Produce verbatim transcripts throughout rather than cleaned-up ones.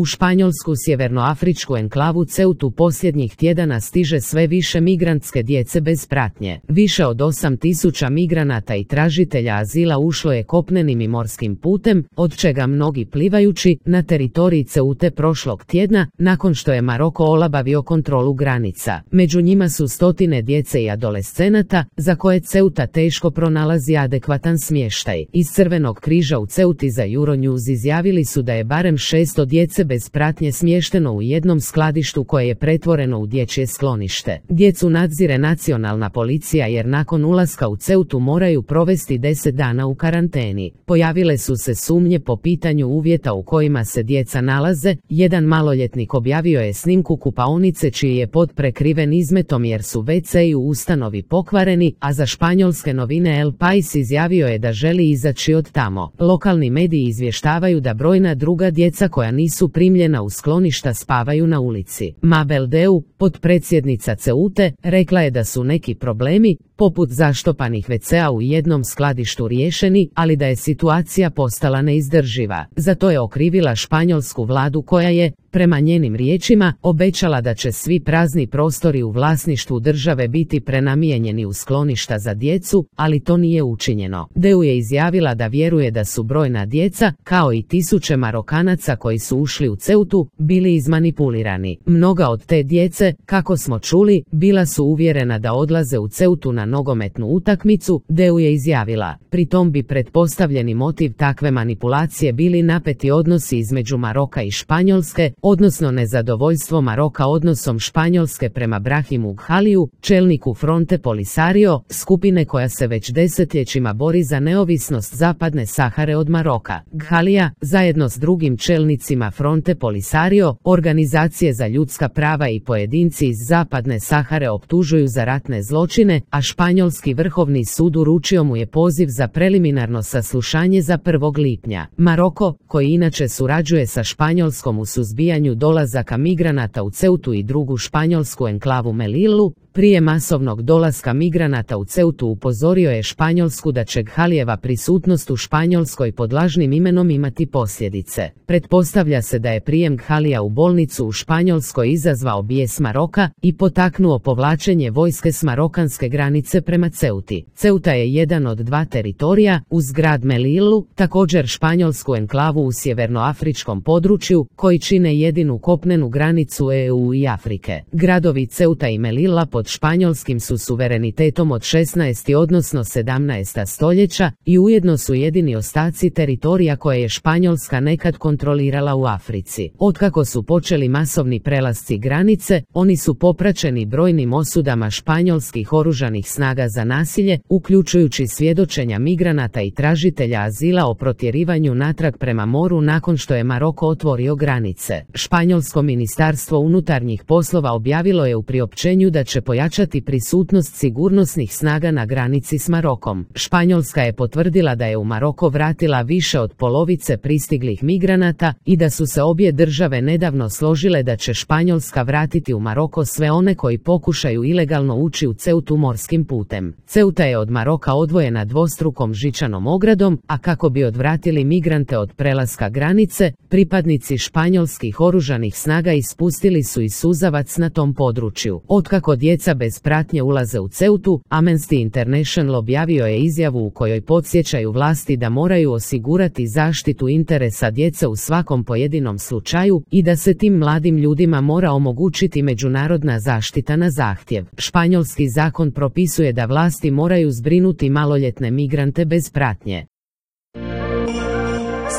U španjolsku sjevernoafričku enklavu Ceutu posljednjih tjedana stiže sve više migrantske djece bez pratnje. Više od osam tisuća migranata i tražitelja azila ušlo je kopnenim i morskim putem, od čega mnogi plivajući, na teritoriji Ceute prošlog tjedna, nakon što je Maroko olabavio kontrolu granica. Među njima su stotine djece i adolescenata, za koje Ceuta teško pronalazi adekvatan smještaj. Iz Crvenog križa u Ceuti za Euronews izjavili su da je barem šesto djece bez pratnje smješteno u jednom skladištu koje je pretvoreno u dječje sklonište. Djecu nadzire nacionalna policija jer nakon ulaska u Ceutu moraju provesti deset dana u karanteni. Pojavile su se sumnje po pitanju uvjeta u kojima se djeca nalaze. Jedan maloljetnik objavio je snimku kupaonice čiji je pod prekriven izmetom jer su ve ce u ustanovi pokvareni, a za španjolske novine El País izjavio je da želi izaći od tamo. Lokalni mediji izvještavaju da brojna druga djeca koja nisu primljena u skloništa spavaju na ulici. Mabel Deu, potpredsjednica Ceute, rekla je da su neki problemi, poput zaštopanih ve cea u jednom skladištu riješeni, ali da je situacija postala neizdrživa. Za to je okrivila španjolsku vladu koja je, prema njenim riječima, obećala da će svi prazni prostori u vlasništvu države biti prenamijenjeni u skloništa za djecu, ali to nije učinjeno. Deu je izjavila da vjeruje da su brojna djeca, kao i tisuće Marokanaca koji su ušli u Ceutu, bili izmanipulirani. Mnoga od te djece, kako smo čuli, bila su uvjerena da odlaze u Ceutu na nogometnu utakmicu, Deu je izjavila. Pri tom bi pretpostavljeni motiv takve manipulacije bili napeti odnosi između Maroka i Španjolske, odnosno nezadovoljstvo Maroka odnosom Španjolske prema Brahimu Ghaliju, čelniku Fronte Polisario, skupine koja se već desetljećima bori za neovisnost zapadne Sahare od Maroka. Ghalija, zajedno s drugim čelnicima Fronte Polisario, organizacije za ljudska prava i pojedinci iz zapadne Sahare optužuju za ratne zločine, a Španjolski vrhovni sud uručio mu je poziv za preliminarno saslušanje za prvog lipnja. Maroko, koji inače surađuje sa Španjolskom u suzbijanju dolazaka migranata u Ceutu i drugu španjolsku enklavu Melilu, prije masovnog dolaska migranata u Ceutu upozorio je Španjolsku da će Ghalijeva prisutnost u Španjolskoj pod lažnim imenom imati posljedice. Pretpostavlja se da je prijem Ghalija u bolnicu u Španjolskoj izazvao bijes Maroka i potaknuo povlačenje vojske s marokanske granice prema Ceuti. Ceuta je jedan od dva teritorija, uz grad Melilu, također španjolsku enklavu u sjevernoafričkom području, koji čine jedinu kopnenu granicu e u i Afrike. Gradovi Ceuta i Melilla pod španjolskim su suverenitetom od šesnaestog odnosno sedamnaestog stoljeća i ujedno su jedini ostaci teritorija koje je Španjolska nekad kontrolirala u Africi. Otkako su počeli masovni prelasci granice, oni su popraćeni brojnim osudama španjolskih oružanih snaga za nasilje, uključujući svjedočenja migranata i tražitelja azila o protjerivanju natrag prema moru nakon što je Maroko otvorio granice. Španjolsko ministarstvo unutarnjih poslova objavilo je u priopćenju da će pojačati prisutnost sigurnosnih snaga na granici s Marokom. Španjolska je potvrdila da je u Maroko vratila više od polovice pristiglih migranata i da su se obje države nedavno složile da će Španjolska vratiti u Maroko sve one koji pokušaju ilegalno ući u Ceutu morskim putem. Ceuta je od Maroka odvojena dvostrukom žičanom ogradom, a kako bi odvratili migrante od prelaska granice, pripadnici španjolskih oružanih snaga ispustili su i suzavac na tom području. Otkako djeca bez pratnje ulaze u Ceutu, Amnesty International objavio je izjavu u kojoj podsjećaju vlasti da moraju osigurati zaštitu interesa djece u svakom pojedinom slučaju i da se tim mladim ljudima mora omogućiti međunarodna zaštita na zahtjev. Španjolski zakon propisuje da vlasti moraju zbrinuti maloljetne migrante bez pratnje.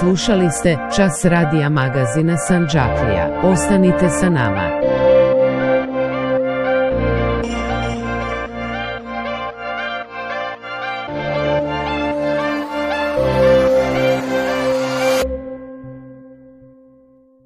Slušali ste Čas radija magazina Sandžaklija. Ostanite sa nama.